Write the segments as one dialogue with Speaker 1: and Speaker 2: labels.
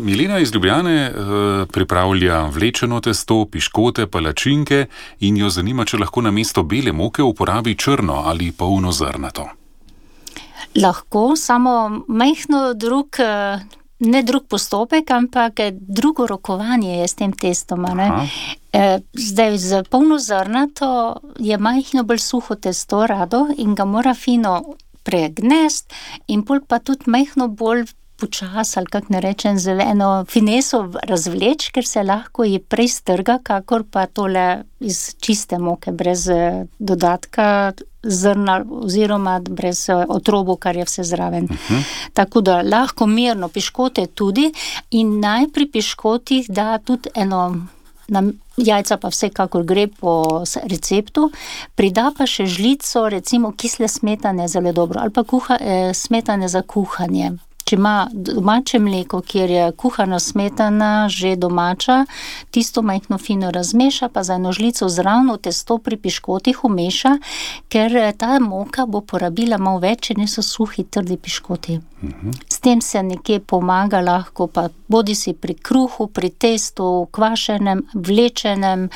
Speaker 1: Milena iz Ljubljane pripravlja vlečeno testo, piškote, palačinke in jo zanima, če lahko namesto bele moke uporabi črno ali polnozrnato.
Speaker 2: Lahko, samo majhno ne drug postopek, ampak drugo rokovanje je s tem testom. Zdaj, z polnozrnato je majhno bolj suho testo rado in ga mora fino pregnest in pol pa tudi majhno bolj počas, ali kak ne rečem, z eno fineso razvleč, ker se lahko je prej strga, kakor pa tole iz čiste moke, brez dodatka zrna oziroma brez otrobu, kar je vse zraven. Tako da lahko mirno piškote tudi in naj pri piškotih da tudi jajca pa vsekakor gre po receptu, prida pa še žlico, recimo kisle smetane zelo dobro, ali pa smetane za kuhanje. Če ima domače mleko, kjer je kuhana smetana že domača, tisto majhno fino razmeša, pa za eno žlico zraven testo pri piškotih umeša, ker ta moka bo porabila malo več, če niso suhi, trdi piškoti. S tem se nekje pomaga lahko, pa bodisi pri kruhu, pri testu, kvašenem, vlečenem,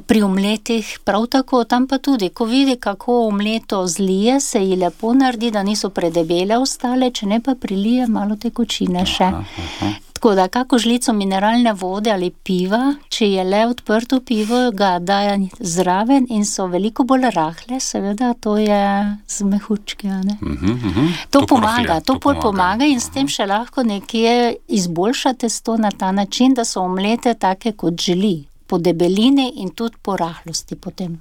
Speaker 2: pri omletih, prav tako, tam pa tudi, ko vidi, kako omleto zlije, se ji lepo naredi, da niso predebele ostale, če ne pa prilije malo tekočine še. Tako da, kako žlico mineralne vode ali piva, če je le odprto pivo, ga daje zraven in so veliko bolj rahle, seveda, to je z mehučke, ne? To pomaga in s tem še lahko nekje izboljša testo na ta način, da so omlete take, kot želi, po debelini in tudi po rahlosti potem.